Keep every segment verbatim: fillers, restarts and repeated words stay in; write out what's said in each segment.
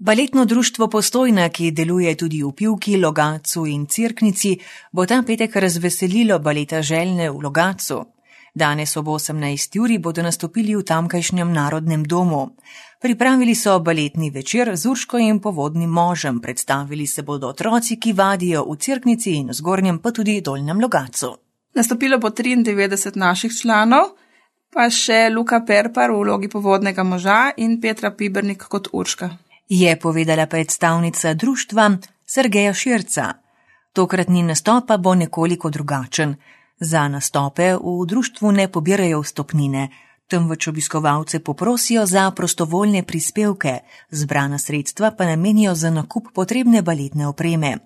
Baletno društvo Postojna, ki deluje tudi v Pivki, Logatcu in Cerknici, bo ta petek razveselilo baleta Željne v Logatcu. Danes ob osemnajsti uri bodo nastopili v tamkajšnjem Narodnem domu. Pripravili so baletni večer z Urško in Povodnim možem, predstavili se bodo otroci, ki vadijo v Cerknici in v Zgornjem pa tudi Dolnjem Logatcu. Nastopilo bo triindevetdeset naših članov, pa še Luka Perpar v vlogi Povodnega moža in Petra Pibernik kot Urška. Je povedala predstavnica društva Sergeja Širca. Tokratni nastop pa bo nekoliko drugačen. Za nastope v društvu ne pobirajo vstopnine, temveč obiskovalce poprosijo za prostovoljne prispevke, zbrana sredstva pa namenijo za nakup potrebne baletne opreme.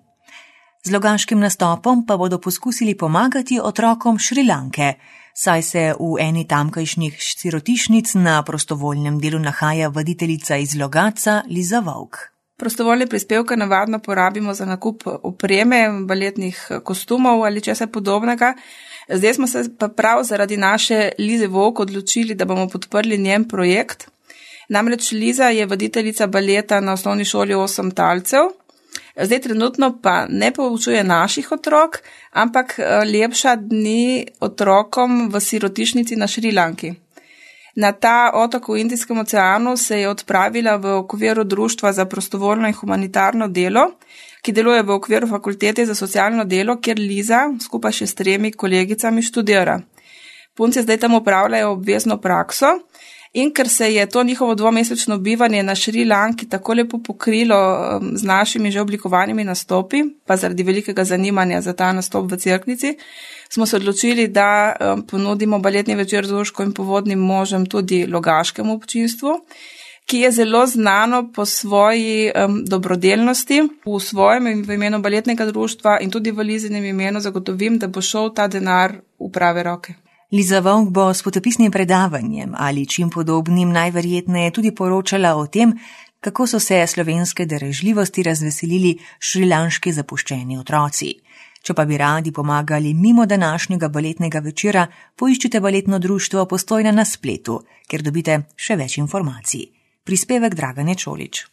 Z logaškim nastopom pa bodo poskusili pomagati otrokom Šrilanke, saj se v eni tamkajšnjih sirotišnic na prostovoljnem delu nahaja vaditeljica iz Logatca Liza Vovk. Prostovoljne prispevke navadno porabimo za nakup opreme, baletnih kostumov ali česa podobnega. Zdaj smo se pa prav zaradi naše Lize Vovk odločili, da bomo podprli njen projekt. Namreč Liza je vaditeljica baleta na osnovni šoli Osem talcev. Zdaj trenutno pa ne poučuje naših otrok, ampak lepša dni otrokom v sirotišnici na Šrilanki. Na ta otok v Indijskem oceanu se je odpravila v okviru Društva za prostovoljno in humanitarno delo, ki deluje v okviru Fakultete za socialno delo, kjer Liza skupaj še s tremi kolegicami študira. Punce zdaj tam opravljajo obvezno prakso. In ker se je to njihovo dvomesečno bivanje na Šrilanki tako lepo pokrilo z našimi že oblikovanimi nastopi, pa zaradi velikega zanimanja za ta nastop v Cerknici, smo se odločili, da ponudimo baletni večer z Urško in Povodnim možem tudi logaškemu občinstvu, ki je zelo znano po svoji um, dobrodelnosti. V svojem in v imenu baletnega društva in tudi v Lizinem imenu zagotovim, da bo šel ta denar v prave roke. Liza Vovk bo s potopisnim predavanjem ali čim podobnim najverjetneje tudi poročala o tem, kako so se slovenske darežljivosti razveselili šrilanški zapuščeni otroci. Če pa bi radi pomagali mimo današnjega baletnega večera, poiščite baletno društvo Postojna na spletu, kjer dobite še več informacij. Prispevek Dragane Čolić.